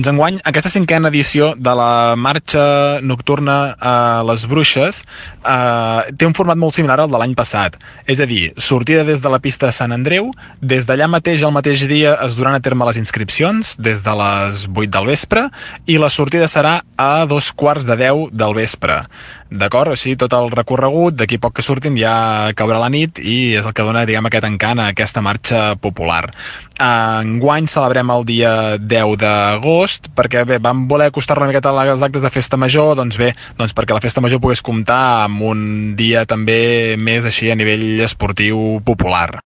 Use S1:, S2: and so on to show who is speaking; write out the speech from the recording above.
S1: Doncs enguany, aquesta 5a edició de la marxa nocturna a les Bruixes té un format molt similar al de l'any passat. És a dir, sortida des de la pista de Sant Andreu, des d'allà mateix, el mateix dia, es duran a terme les inscripcions, des de les 8 del vespre, i la sortida serà a 2:15 del vespre. D'acord? O sigui, tot el recorregut, d'aquí poc que surtin ja caurà la nit i és el que dona, diguem, aquest encant a aquesta marxa popular. Enguany celebrem el dia 10 d'agost perquè bé, vam voler acostar-lo una miqueta als actes de festa major, doncs bé, doncs perquè la festa major pogués comptar amb un dia també més així a nivell esportiu popular.